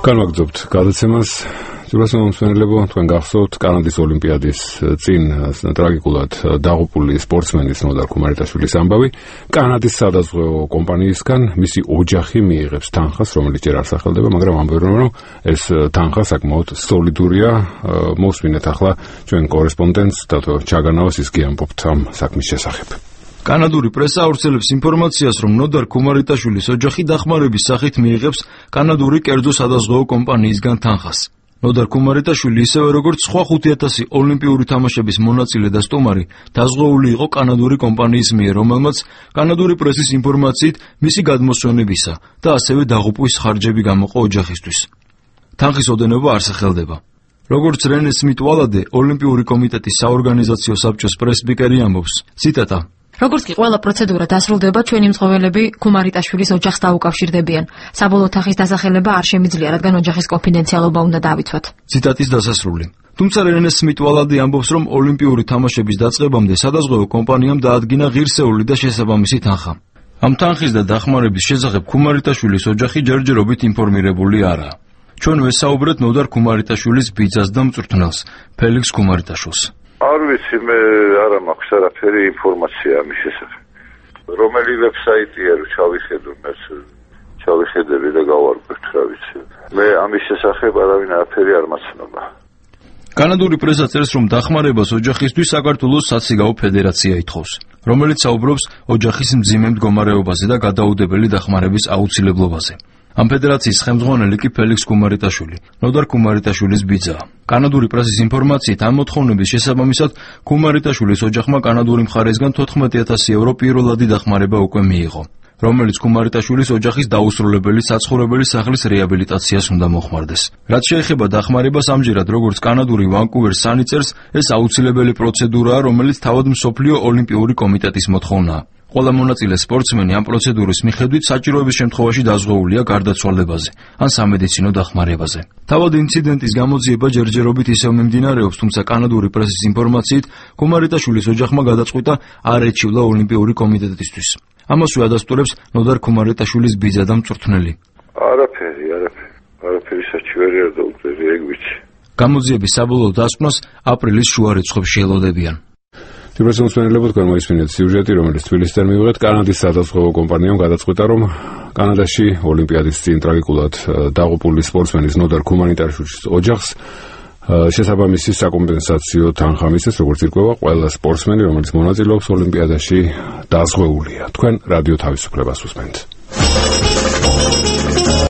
განვაგრძობთ გადაცემას. Ძვირადღირებული მომსმენელებო, თქვენ გახსოვთ კანადის ოლიმპიადის წინ ტრაგიკულად დაღუპული სპორტსმენის ნოდარ ქუმარიტაშვილის ამბავი. კანადის სადაზღვევო კომპანიისგან მისი ოჯახი მიიღებს თანხას, რომელიც ჯერ არ სახელდება, მაგრამ ამბობენ, რომ ეს თანხა საკმაოდ სოლიდურია. მოვსმინეთ ახლა ჩვენ კორესპონდენტს დათო ჩაგანავას, ის კი ამბობთ ამ საქმის შესახებ. კანადური პრესა ავრცელებს ინფორმაციას, რომ ნოდარ ქუმარიტაშვილის ოჯახი დახმარების სახით მიიღებს კანადური კერძო სადაზღვევო კომპანიისგან თანხას. ნოდარ ქუმარიტაშვილი ისევე როგორც სხვა 5,000 ოლიმპიური თამაშების მონაწილე და სტუმარი დაზღვეული იყო კანადური კომპანიის მიერ, რომელმაც კანადური პრესის ინფორმაციით მისი გადმოსვენებისა და ასევე დაღუპვის ხარჯები გამოყო ოჯახისთვის. თანხის ოდენობა არ სახელდება. როგორც რენე სმით ვალადე, ოლიმპიური კომიტეტის საორგანიზაციო საბჭოს პრესპიკერი ამბობს, ციტატა: როგორც კი ყველა პროცედურა დასრულდება, ჩვენი მწვავეები ქუმარიტაშვილის ოჯახს დაუკავშირდებიან. საბოლოო თანხის დასახელება არ შემიძლია, რადგან ოჯახის კონფიდენციალობა უნდა დავიცვათ. ციტატის დასასრული. თუმცა რენე სმით ვალადე ამბობს, რომ ოლიმპიური თამაშების დაწყებამდე სადაზღვევო კომპანიამ დაადგინა ღირსეული და შესაბამისი თანხა. ამ თანხის და დახმარების შესახებ ქუმარიტაშვილის ოჯახი ჯერჯერობით ინფორმირებული არაა. ჩვენ ვესაუბრეთ ნოდარ ქუმარიტაშვილის ბიძას და მწვრთნელს, ფელიქს ქუმარიტაშვილს. არ ვიცი, მე არა მაქვს არაფერი ინფორმაცია ამის შესახებ. რომელი ვებსაიტია რომ ჩავიხედები და გავარკვევთ, რა ვიცი. მე ამის შესახებ არავინ არაფერი არ მაცნობა. კანადური პრესა წერს, რომ დახმარებას ოჯახისთვის საქართველოს საციგაო ფედერაცია ითხოვს, რომელიც საუბრობს ოჯახის მძიმე მდგომარეობაზე და გადაუდებელი დახმარების აუცილებლობაზე. ამ ფედერაციის ხელმძღვანელი კი ფელიქს ქუმარიტაშვილი, ნოდარ ქუმარიტაშვილის ბიძაა. კანადური პრესის ინფორმაციით, ამ მოთხოვნების შესაბამისად, ქუმარიტაშვილის ოჯახმა კანადური მხარესგან 14,000 евро პირველადი დახმარება უკვე მიიღო, რომელიც ქუმარიტაშვილის ოჯახის დაუსრულებელი საცხოვრებელი სახლის რეაბილიტაციას უნდა მოხმარდეს. რაც შეეხება დახმარებას, ამჯერად როგორც კანადური ვანკუვერ სანი წერს, ეს აუცილებელი პროცედურაა, რომელიც თავად მსოფლიო ოლიმპიური კომიტეტის მოთხოვნაა. ყველა მონაწილე სპორტსმენი ამ პროცედურის მიხედვით საჭიროების შემთხვევაში დაზღვეულია გარდაცვალებაზე ან სამედიცინო დახმარებაზე. თავად ინციდენტის გამოძიება ჯერჯერობით ისევ მიმდინარეობს, თუმცა კანადური პრესის ინფორმაციით, ქუმარიტაშვილის ოჯახმა გადაწყვიტა არ ეჩივლა ოლიმპიური კომიტეტისთვის. ამასვე ადასტურებს ნოდარ ქუმარიტაშვილის ბიძა და მწვრთნელი. არაფერი საჩივარი არ დაუწევი, ეგ ვიცი. გამოძიების საბოლოო დასკვნას აპრილის შუა რიცხვებში ელოდებიან. ძვირადღირებული მომსმენელებო, თქვენ მოისმინეთ სიუჟეტი, რომელიც თბილისიდან მივიღეთ. კანადის სადაზღვევო კომპანიამ გადაწყვიტა, რომ კანადაში ოლიმპიადის წინ ტრაგიკულად დაღუპული სპორტსმენის ნოდარ ქუმარიტაშვილის ოჯახს შესაბამისი საკომპენსაციო თანხა მისცეს, როგორც ირკვევა, ყველა სპორტსმენი, რომელიც მონაწილეობს ოლიმპიადაში, დაზღვეულია. თქვენ რადიო თავისუფლებას უსმენთ.